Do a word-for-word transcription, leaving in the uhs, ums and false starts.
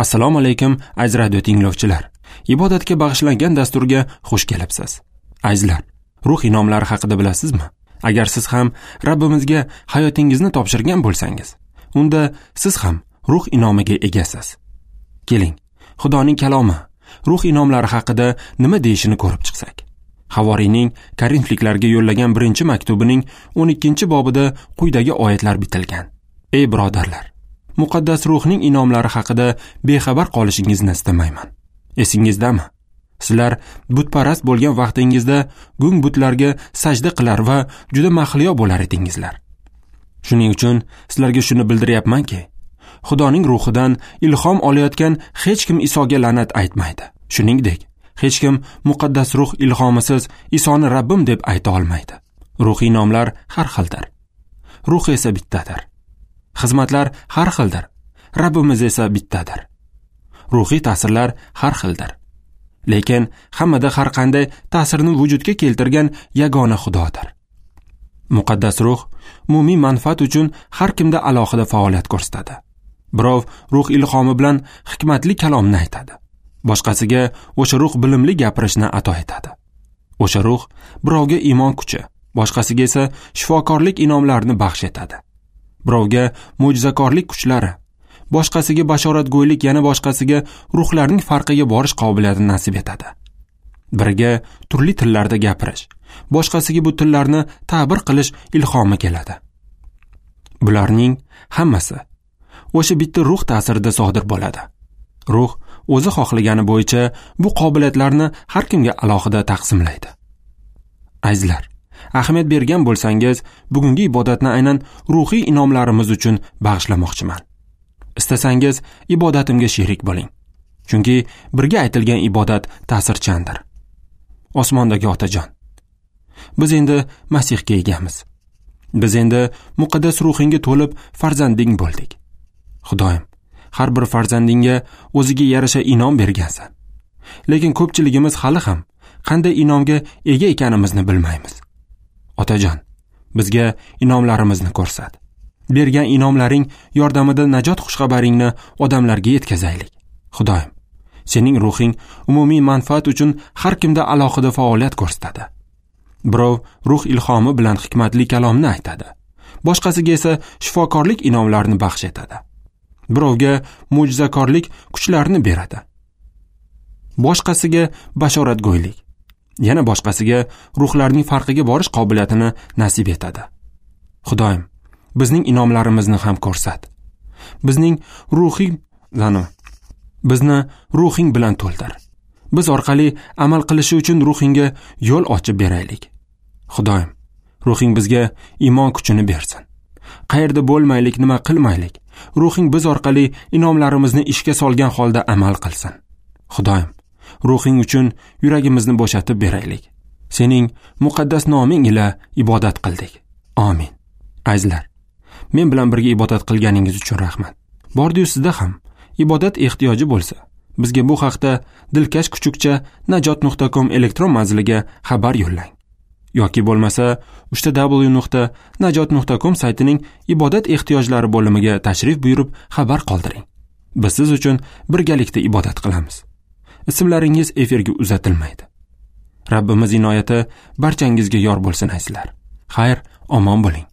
Assalomu alaykum aziz radio tinglovchilar. Ibodatga bag'ishlangan dasturga xush kelibsiz. Azizlar, ruh inomlari haqida bilasizmi? Agar siz ham Rabbimizga hayotingizni topshirgan bo'lsangiz, unda siz ham ruh inomiga egasiz. Keling, Xudoning kalomi ruh inomlari haqida nima deyishini ko'rib chiqsak. Havoriyning Korinfliklarga yo'llagan birinchi maktubining o'n ikkinchi bobida quyidagi oyatlar bitilgan. Ey birodarlar, muqaddas ruhning inomlari haqida bexabar qolishingizni istamayman. Esingizdami? Sizlar butparast bo'lgan vaqtingizda gung butlarga sajda qilar va juda mahliyo bo'lar edingizlar. Shuning uchun sizlarga shuni bildiryapmanki, Xudoning ruhidan ilhom olayotgan hech kim Isoga la'nat aytmaydi. Shuningdek, hech kim muqaddas ruh ilhomisiz Isoni Rabbim deb ayta olmaydi. Ruhiy inomlar har xildir. Ruh esa bittadir. Xizmatlar har xildir. Rabbimiz esa bittadir. Ruhiy ta'sirlar har xildir. Lekin hammada har qanday ta'sirni vujudga keltirgan yagona Xudodir. Muqaddas ruh umumiy manfaat uchun har kimda alohida faoliyat ko'rsatadi. Birov ruh ilhomi bilan hikmatli kalomni aytadi. Boshqasiga o'sha ruh bilimli gapirishni ato etadi. O'sha ruh birovga iymon kuchi, boshqasiga esa shifokorlik inomlarini baxsh etadi. Birovga mo'jizakorlik kuchlari, boshqasiga bashoratgo'ylik, yana boshqasiga ruhlarning farqiga borish qobiliyatini nasib etadi. Biriga turli tillarda gapirish, boshqasiga bu tillarni ta'bir qilish ilhomi keladi. Bularning hammasi o'sha bitta ruh ta'sirida sodir bo'ladi. Ruh o'zi xohlagani bo'yicha bu qobiliyatlarni har kimga alohida taqsimlaydi. Azizlar, ahamiyat bergan bo'lsangiz, bugungi ibodatni aynan ruhiy inomlarimiz uchun bag'ishlamoqchiman. Istasangiz ibodatimga sherik bo'ling. Chunki birga aytilgan ibodat ta'sirchandir. Osmondagi Otajon, biz endi Masihga egamiz. Biz endi muqaddas ruhingga to'lib farzanding bo'ldik. Xudoyim, har bir farzandingga o'ziga yarasha inom bergansan. Lekin ko'pchiligimiz hali ham qanday inomga ega ekanimizni bilmaymiz. Otajon, bizga inomlarimizni ko'rsat. Bergan inomlaring yordamida najot xushxabaringni odamlarga yetkazaylik. Xudoyim, sening ruhing umumiy manfaat uchun har kimda alohida faoliyat ko'rsatadi. Birov ruh ilhomi bilan hikmatli kalomni aytadi. Boshqasiga esa shifokorlik inomlarini baxsh etadi. Birovga mo'jizakorlik kuchlarini beradi. Boshqasiga bashoratgo'ylik, yana boshqasiga ruhlarning farqiga borish qobiliyatini nasib etadi. Xudoyim, bizning inomlarimizni ham ko'rsat. Bizning ruhiy zanu, bizni ruhing bilan to'ldir. Biz orqali amal qilishi uchun ruhingga yo'l ochib beraylik. Xudoyim, ruhing bizga iymon kuchini bersin. Qayerda bo'lmaylik, nima qilmaylik, ruhing biz orqali inomlarimizni ishga solgan holda amal qilsin. Xudoyim, ruhing uchun yuragimizni bo'shatib beraylik. Sening muqaddas noming ila ibodat qildik. Amin. Azizlar, men bilan birga ibodat qilganingiz uchun rahmat. Bordi-yu sizda ham ibodat ehtiyoji bo'lsa, bizga bu haqda dilkash kuchukcha najot nuqta com elektron manziliga xabar yo'llang. Yoki bo'lmasa uchta w nuqta najot nuqta com saytining ibodat ehtiyojlari bo'limiga tashrif buyurib xabar qoldiring. Biz siz uchun birgalikda ibodat qilamiz. Ismlaringiz efirga uzatilmaydi. Rabbimiz inoyati barchangizga yor bo'lsin azizlar. Xayr, omon bo'ling.